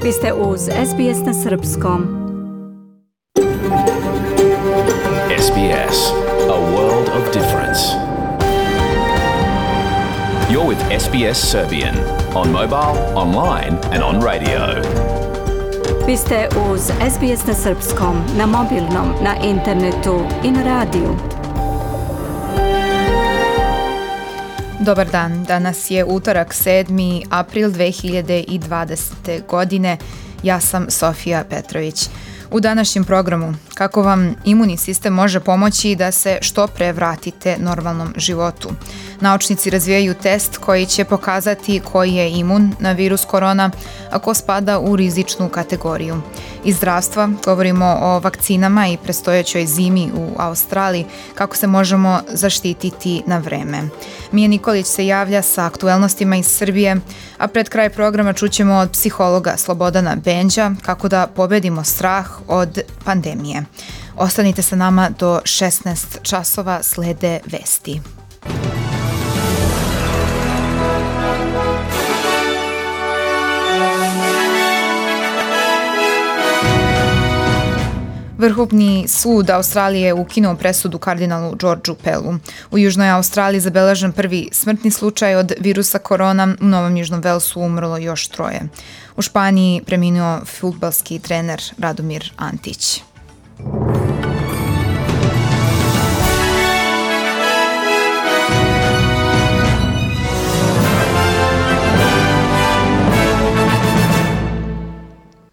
Vi ste uz SBS na Srpskom. SBS, a world of difference. You're with SBS Serbian on mobile, online and on radio. Vi ste uz SBS na Srpskom, na mobilnom, na internetu i na radiju. Dobar dan, danas je utorak 7. april 2020. godine. Ja sam Sofija Petrović. U današnjem programu, kako vam imunni sistem može pomoći da se što pre vratite normalnom životu. Naučnici razvijaju test koji će pokazati koji je imun na virus korona, a ko spada u rizičnu kategoriju. Iz zdravstva govorimo o vakcinama i predstojećoj zimi u Australiji, kako se možemo zaštititi na vreme. Mija Nikolić se javlja sa aktuelnostima iz Srbije, a pred kraj programa čućemo od psihologa Slobodana Benđa kako da pobedimo strah od pandemije. Ostanite sa nama do 16 časova, slede vesti. Vrhovni sud Australije ukinuo presudu kardinalu Georgeu Pellu. U Južnoj Australiji zabeležen prvi smrtni slučaj od virusa korona, u Novom Južnom Velsu umrlo još 3. U Španiji preminuo fudbalski trener Radomir Antić.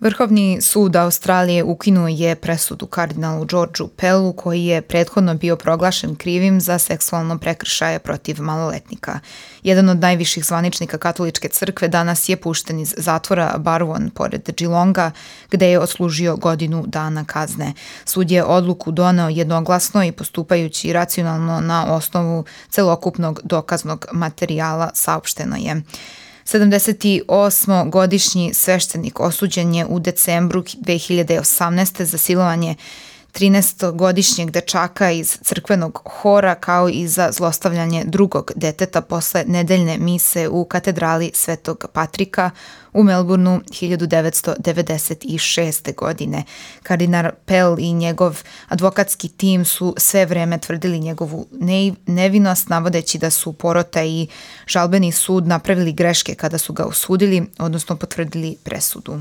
Vrhovni sud Australije ukinuo je presudu kardinalu Georgeu Pellu koji je prethodno bio proglašen krivim za seksualno prekršaje protiv maloletnika. Jedan od najviših zvaničnika katoličke crkve danas je pušten iz zatvora Barwon pored Geelonga, gde je odslužio godinu dana kazne. Sud je odluku doneo jednoglasno i postupajući racionalno na osnovu celokupnog dokaznog materijala, saopšteno je. 78-godišnji sveštenik osuđen je u decembru 2018. za silovanje 13-godišnjeg dečaka iz crkvenog hora kao i za zlostavljanje drugog deteta posle nedeljne mise u katedrali Svetog Patrika u Melbourneu 1996. godine. Kardinal Pell i njegov advokatski tim su sve vreme tvrdili njegovu nevinost, navodeći da su porota i žalbeni sud napravili greške kada su ga osudili, odnosno potvrdili presudu.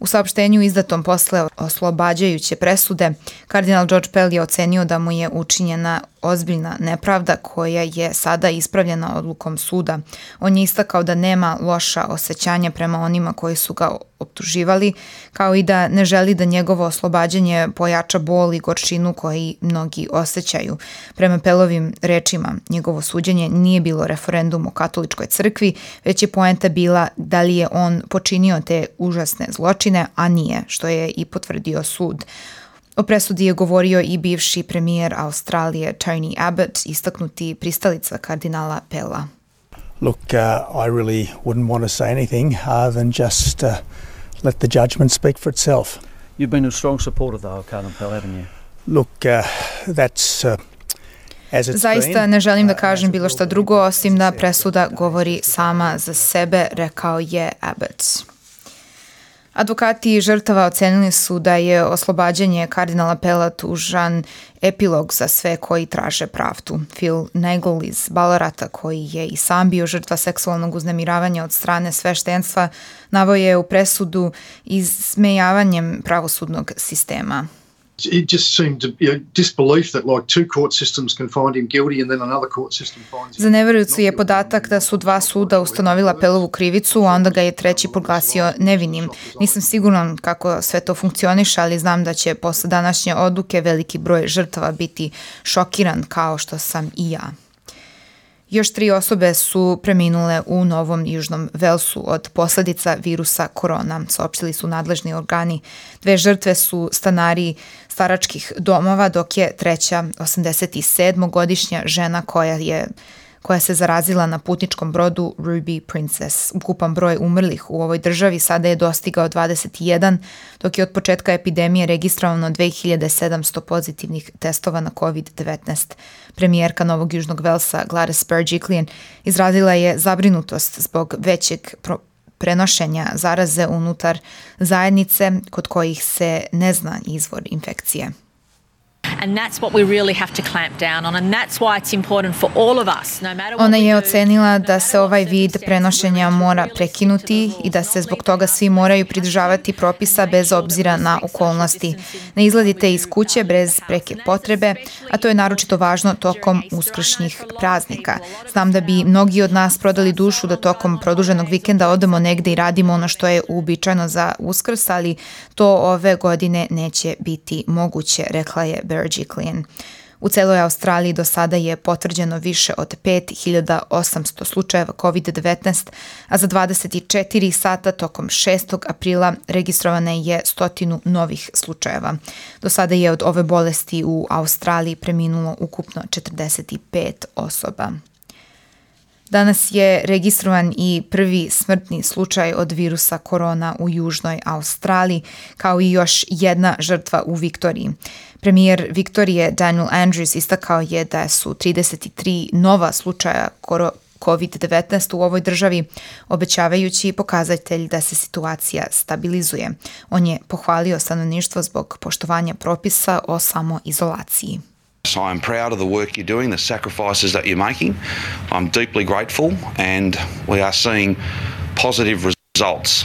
U saopštenju izdatom posle oslobađajuće presude, kardinal George Pell je ocenio da mu je učinjena ozbiljna nepravda koja je sada ispravljena odlukom suda. On je istakao da nema loša osjećanja prema onima koji su ga optuživali, kao i da ne želi da njegovo oslobađanje pojača bol i gorčinu koji mnogi osjećaju. Prema Pellovim rečima, njegovo suđenje nije bilo referendum o katoličkoj crkvi, već je poenta bila da li je on počinio te užasne zločine, a nije, što je i potvrdio sud. O presudi je govorio i bivši premijer Australije Tony Abbott, istaknuti pristalica kardinala Pella. Look, I really wouldn't want to say anything other than just let the judgment speak for itself. You've been a strong supporter though of Cardinal Pell, haven't you? Look, that's as it's Zaista ne želim da kažem bilo šta drugo, osim da presuda govori sama za sebe, rekao je Abbott. Advokati žrtava ocenili su da je oslobađanje kardinala Pella tužan epilog za sve koji traže pravdu. Phil Nagel iz Ballarata, koji je i sam bio žrtva seksualnog uznemiravanja od strane sveštenstva, naveo je u presudu ismejavanjem pravosudnog sistema. It just seemed to be a disbelief that like two court systems can find him guilty and then another court system finds him. Za neverujuću je podatak da su dva suda ustanovila Pellovu krivicu, a onda ga je treći proglasio nevinim. Nisam siguran kako sve to funkcioniše, ali znam da će posle današnje odluke veliki broj žrtava biti šokiran kao što sam i ja. Još 3 osobe su preminule u Novom Južnom Velsu od posljedica virusa korona, saopštili su nadležni organi. 2 žrtve su stanari staračkih domova, dok je treća 87-godišnja žena koja se zarazila na putničkom brodu Ruby Princess. Ukupan broj umrlih u ovoj državi sada je dostigao 21, dok je od početka epidemije registrovano 2700 pozitivnih testova na COVID-19. Premijerka Novog Južnog Velsa Gladys Berejiklian izrazila je zabrinutost zbog većeg prenošenja zaraze unutar zajednice kod kojih se ne zna izvor infekcije. And that's what we really have to clamp down on, and that's why it's important for all of us, no matter what. Ona je ocenila da se ovaj vid prenošenja mora prekinuti i da se zbog toga svi moraju pridržavati propisa bez obzira na okolnosti. Ne izlazite iz kuće bez preke potrebe, a to je naročito važno tokom uskršnjih praznika. Znam da bi mnogi od nas prodali dušu da tokom produženog vikenda odemo negde i radimo ono što je uobičajeno za Uskrs, ali to ove godine neće biti moguće, rekla je Berejiklian. U celoj Australiji do sada je potvrđeno više od 5800 slučajeva COVID-19, a za 24 sata tokom 6. aprila registrovane je 100 novih slučajeva. Do sada je od ove bolesti u Australiji preminulo ukupno 45 osoba. Danas je registrovan i prvi smrtni slučaj od virusa korona u Južnoj Australiji, kao i još jedna žrtva u Viktoriji. Premijer Viktorije Daniel Andrews istakao je da su 33 nova slučaja COVID-19 u ovoj državi, obećavajući pokazatelj da se situacija stabilizuje. On je pohvalio stanovništvo zbog poštovanja propisa o samoizolaciji. I am proud of the work you're doing, the sacrifices that you're making. I'm deeply grateful and we are seeing positive results.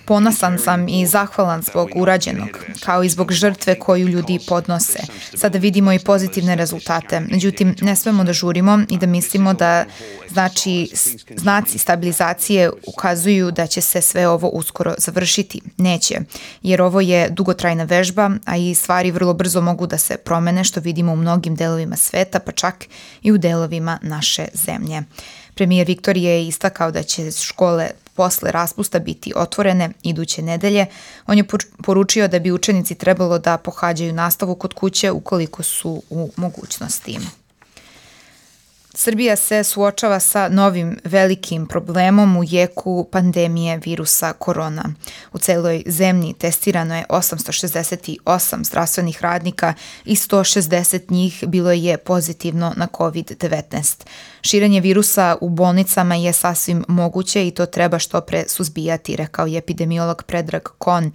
Ponosan sam i zahvalan zbog urađenog, kao i zbog žrtve koju ljudi podnose. Sada vidimo i pozitivne rezultate. Međutim, ne smemo da žurimo i da mislimo da znaci stabilizacije ukazuju da će se sve ovo uskoro završiti. Neće, jer ovo je dugotrajna vežba, a i stvari vrlo brzo mogu da se promene, što vidimo u mnogim delovima sveta, pa čak i u delovima naše zemlje. Premijer Viktorije je istakao da će škole posle raspusta biti otvorene iduće nedelje. On je poručio da bi učenici trebalo da pohađaju nastavu kod kuće ukoliko su u mogućnosti. Srbija se suočava sa novim velikim problemom u jeku pandemije virusa korona. U celoj zemlji testirano je 868 zdravstvenih radnika i 160 njih bilo je pozitivno na COVID-19. Širenje virusa u bolnicama je sasvim moguće i to treba što pre suzbijati, rekao je epidemiolog Predrag Kon,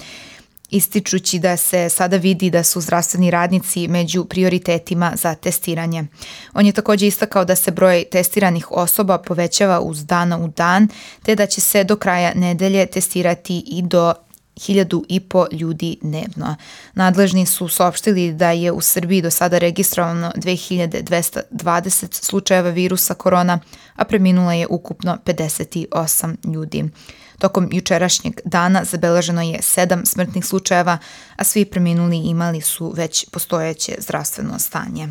ističući da se sada vidi da su zdravstveni radnici među prioritetima za testiranje. On je također istakao da se broj testiranih osoba povećava uz dana u dan, te da će se do kraja nedelje testirati i do 1.500 ljudi dnevno. Nadležni su saopštili da je u Srbiji do sada registrovano 2220 slučajeva virusa korona, a preminulo je ukupno 58 ljudi. Tokom jučerašnjeg dana zabeleženo je 7 smrtnih slučajeva, a svi preminuli imali su već postojeće zdravstveno stanje.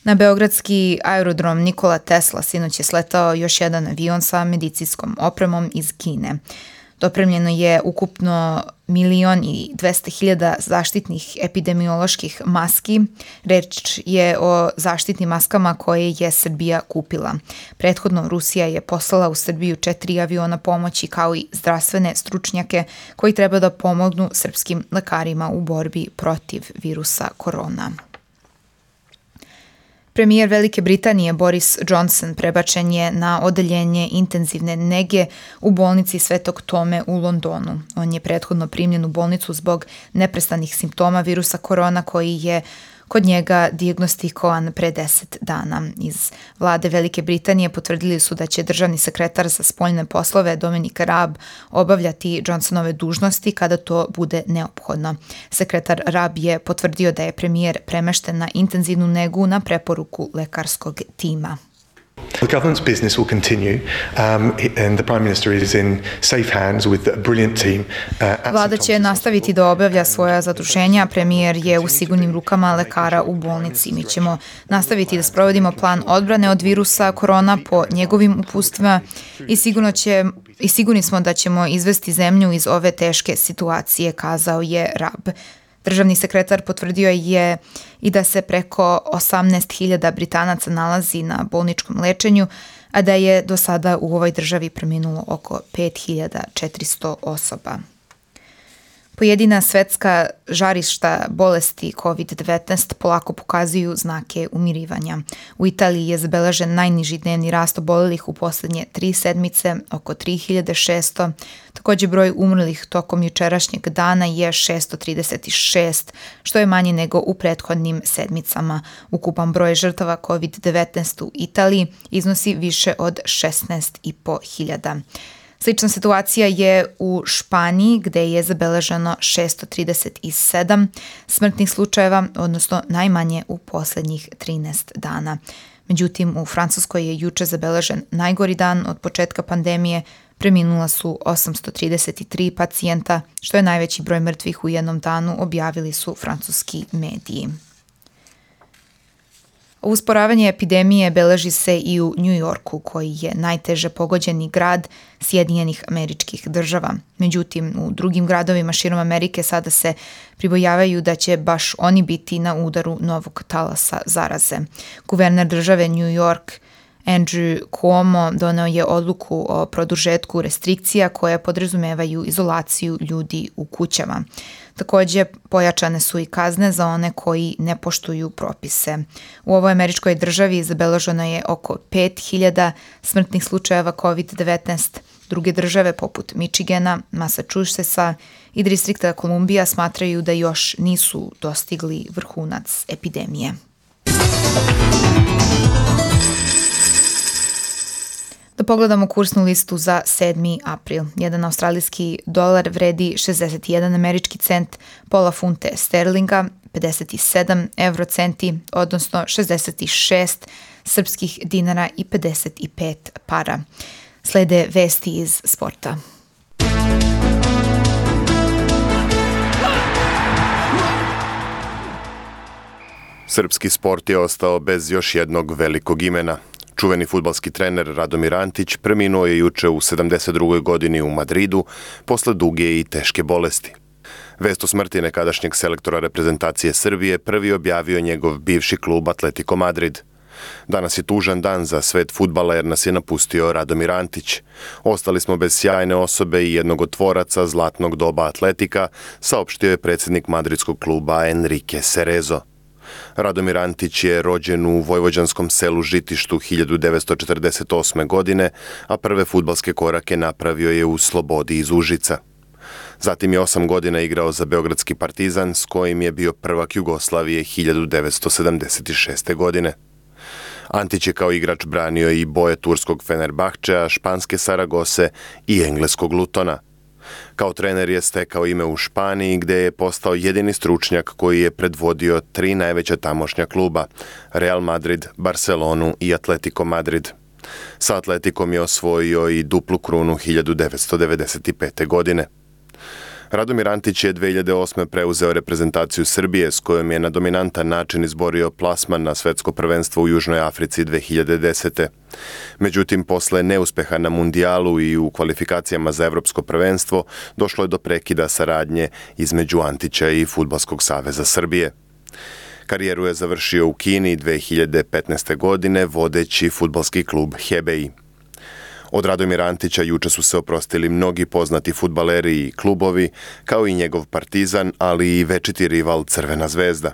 Na beogradski aerodrom Nikola Tesla sinoć je sletao još jedan avion sa medicinskom opremom iz Kine. Dopremljeno je ukupno 1.200.000 zaštitnih epidemioloških maski. Reč je o zaštitnim maskama koje je Srbija kupila. Prethodno Rusija je poslala u Srbiju 4 aviona pomoći kao i zdravstvene stručnjake koji treba da pomognu srpskim lekarima u borbi protiv virusa korona. Premijer Velike Britanije Boris Johnson prebačen je na odeljenje intenzivne nege u bolnici Svetog Tome u Londonu. On je prethodno primljen u bolnicu zbog neprestanih simptoma virusa korona koji je kod njega dijagnostikovan pre 10 dana. Iz vlade Velike Britanije potvrdili su da će državni sekretar za spoljne poslove Dominic Raab obavljati Johnsonove dužnosti kada to bude neophodno. Sekretar Raab je potvrdio da je premijer premešten na intenzivnu negu na preporuku lekarskog tima. The government's business will continue and the Prime Minister is in safe hands with a brilliant team. Vlada će nastaviti da obavlja svoja zaduženja. Premijer je u sigurnim rukama lekara u bolnici. Mi ćemo nastaviti da sprovodimo plan odbrane od virusa korona po njegovim uputstvima i sigurni smo da ćemo izvesti zemlju iz ove teške situacije, kazao je Raab. Državni sekretar potvrdio je i da se preko 18.000 Britanaca nalazi na bolničkom lečenju, a da je do sada u ovoj državi preminulo oko 5.400 osoba. Pojedina svetska žarišta bolesti COVID-19 polako pokazuju znake umirivanja. U Italiji je zabeležen najniži dnevni rast obolelih u posljednje 3 sedmice, oko 3600. Također broj umrlih tokom jučerašnjeg dana je 636, što je manje nego u prethodnim sedmicama. Ukupan broj žrtava COVID-19 u Italiji iznosi više od 16.500. Slična situacija je u Španiji, gdje je zabeleženo 637 smrtnih slučajeva, odnosno najmanje u posljednjih 13 dana. Međutim, u Francuskoj je juče zabeležen najgori dan od početka pandemije. Preminula su 833 pacijenta, što je najveći broj mrtvih u jednom danu, objavili su francuski mediji. Usporavanje epidemije beleži se i u New Yorku, koji je najteže pogođeni grad Sjedinjenih Američkih Država. Međutim, u drugim gradovima širom Amerike sada se pribojavaju da će baš oni biti na udaru novog talasa zaraze. Guverner države New York Andrew Cuomo doneo je odluku o produžetku restrikcija koje podrazumevaju izolaciju ljudi u kućama. Također pojačane su i kazne za one koji ne poštuju propise. U ovoj američkoj državi zabeleženo je oko 5000 smrtnih slučajeva COVID-19. Druge države poput Michigana, Massachusettsa i distrikta Kolumbija smatraju da još nisu dostigli vrhunac epidemije. Da pogledamo kursnu listu za 7. april. Jedan australijski dolar vredi 61 američki cent, pola funte sterlinga, 57 eurocenti, odnosno 66 srpskih dinara i 55 para. Slede vesti iz sporta. Srpski sport je ostao bez još jednog velikog imena. Čuveni fudbalski trener Radomir Antić preminuo je juče u 72. godini u Madridu posle duge i teške bolesti. Vest o smrti nekadašnjeg selektora reprezentacije Srbije prvi objavio njegov bivši klub Atletico Madrid. Danas je tužan dan za svet fudbala jer nas je napustio Radomir Antić. Ostali smo bez sjajne osobe i jednog od tvoraca zlatnog doba Atletika, saopštio je predsjednik madridskog kluba Enrique Cerezo. Radomir Antić je rođen u vojvođanskom selu Žitištu 1948. godine, a prve fudbalske korake napravio je u Slobodi iz Užica. Zatim je 8 godina igrao za Beogradski Partizan, s kojim je bio prvak Jugoslavije 1976. godine. Antić je kao igrač branio i boje turskog Fenerbahčea, španske Saragose i engleskog Lutona. Kao trener je stekao ime u Španiji, gdje je postao jedini stručnjak koji je predvodio 3 najveća tamošnja kluba, Real Madrid, Barcelonu i Atletico Madrid. Sa Atletikom je osvojio i duplu krunu 1995. godine. Radomir Antić je 2008. preuzeo reprezentaciju Srbije, s kojom je na dominantan način izborio plasman na svetsko prvenstvo u Južnoj Africi 2010. Međutim, posle neuspeha na mundijalu i u kvalifikacijama za evropsko prvenstvo, došlo je do prekida saradnje između Antića i Fudbalskog saveza Srbije. Karijeru je završio u Kini 2015. godine vodeći fudbalski klub Hebei. Od Radomira Antića juče su se oprostili mnogi poznati fudbaleri i klubovi, kao i njegov Partizan, ali i večiti rival Crvena zvezda.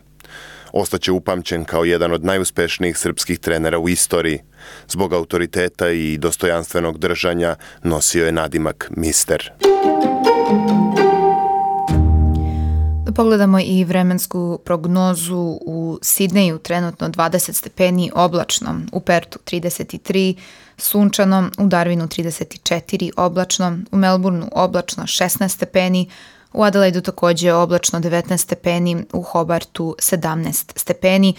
Ostaće upamćen kao jedan od najuspešnijih srpskih trenera u istoriji. Zbog autoriteta i dostojanstvenog držanja nosio je nadimak Mister. Da pogledamo i vremensku prognozu. U Sidneju trenutno 20 stepeni oblačno, u Pertu 33, sunčano, u Darwinu 34 oblačno, u Melbourneu oblačno 16 stepeni, u Adelaidu također oblačno 19 stepeni, u Hobartu 17 stepeni,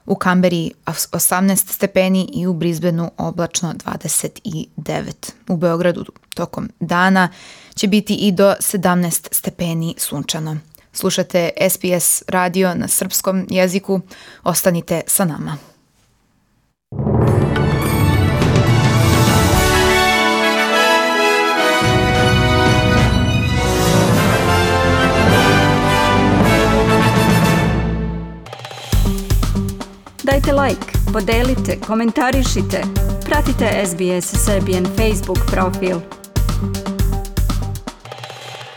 u Kamberi 18 stepeni i u Brisbaneu oblačno 29. U Beogradu tokom dana će biti i do 17 stepeni sunčano. Slušate SBS radio na srpskom jeziku. Ostanite sa nama. Dajte like, podelite, komentarišite. Pratite SBS Serbian Facebook profil.